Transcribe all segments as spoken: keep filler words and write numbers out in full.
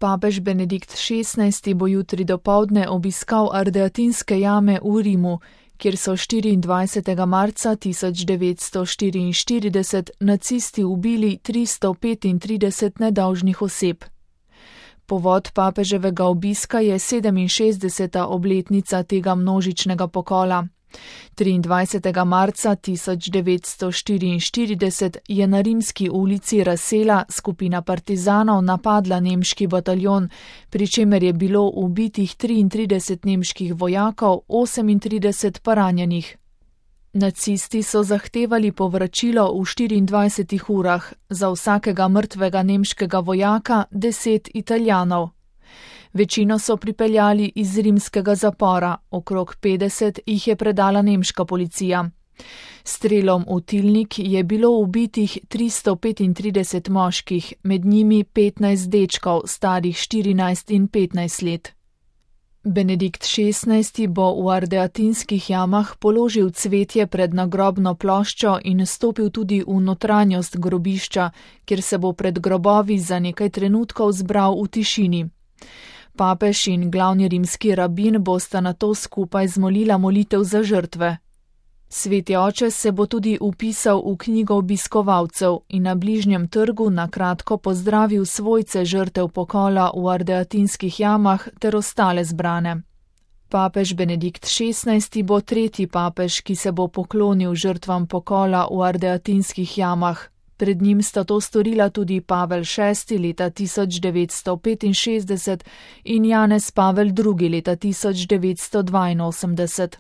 Papež Benedikt šestnajsti bo jutri dopoldne obiskal Ardeatinske jame v Rimu, kjer so štiriindvajsetega marca tisoč devetsto štiriinštirideset nacisti ubili tristo petintrideset nedolžnih oseb. Povod papeževega obiska je sedeminšestdeseta obletnica tega množičnega pokola. triindvajsetega marca tisoč devetsto štiriinštirideset je na rimski ulici Rasela skupina partizanov napadla nemški bataljon, pri čemer je bilo ubitih triintrideset nemških vojakov, osemintrideset pa ranjenih. Nacisti so zahtevali povračilo v štiriindvajsetih urah, za vsakega mrtvega nemškega vojaka deset Italijanov. Večino so pripeljali iz rimskega zapora, okrog petdeset jih je predala nemška policija. Strelom v tilnik je bilo ubitih tristo petintrideset moških, med njimi petnajst dečkov, starih štirinajst in petnajst let. Benedikt šestnajsti bo v Ardeatinskih jamah položil cvetje pred nagrobno ploščo in stopil tudi v notranjost grobišča, kjer se bo pred grobovi za nekaj trenutkov zbral v tišini. Papež in glavni rimski rabin bosta nato skupaj zmolila molitev za žrtve. Sveti oče se bo tudi vpisal v knjigo obiskovalcev in na bližnjem trgu na kratko pozdravil svojce žrtev pokola v Ardeatinskih jamah ter ostale zbrane. Papež Benedikt šestnajsti bo tretji papež, ki se bo poklonil žrtvam pokola v Ardeatinskih jamah. Pred njim sta to storila tudi Pavel šesti leta tisoč devetsto petinšestdeset in Janez Pavel drugi leta tisoč devetsto dvainosemdeset.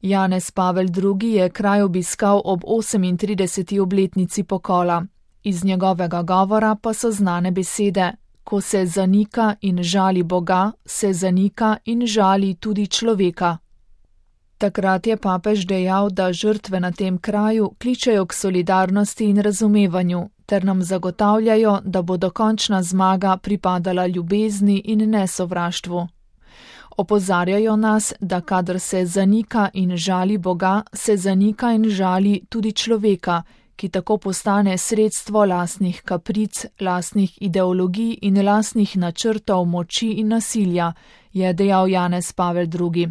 Janez Pavel drugi je kraj obiskal ob osemintrideseti obletnici pokola. Iz njegovega govora pa so znane besede: ko se zanika in žali Boga, se zanika in žali tudi človeka. Takrat je papež dejal, da žrtve na tem kraju kličejo k solidarnosti in razumevanju, ter nam zagotavljajo, da bo dokončna zmaga pripadala ljubezni in nesovraštvu. Opozarjajo nas, da kadar se zanika in žali Boga, se zanika in žali tudi človeka, ki tako postane sredstvo lastnih kapric, lastnih ideologij in lastnih načrtov moči in nasilja, je dejal Janez Pavel drugi.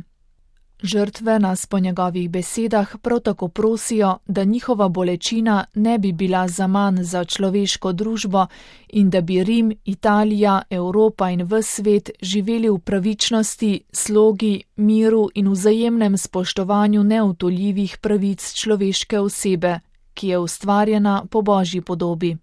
Žrtve nas po njegovih besedah prav tako prosijo, da njihova bolečina ne bi bila zaman za človeško družbo in da bi Rim, Italija, Evropa in ves svet živeli v pravičnosti, slogi, miru in vzajemnem spoštovanju neodtujljivih pravic človeške osebe, ki je ustvarjena po Božji podobi.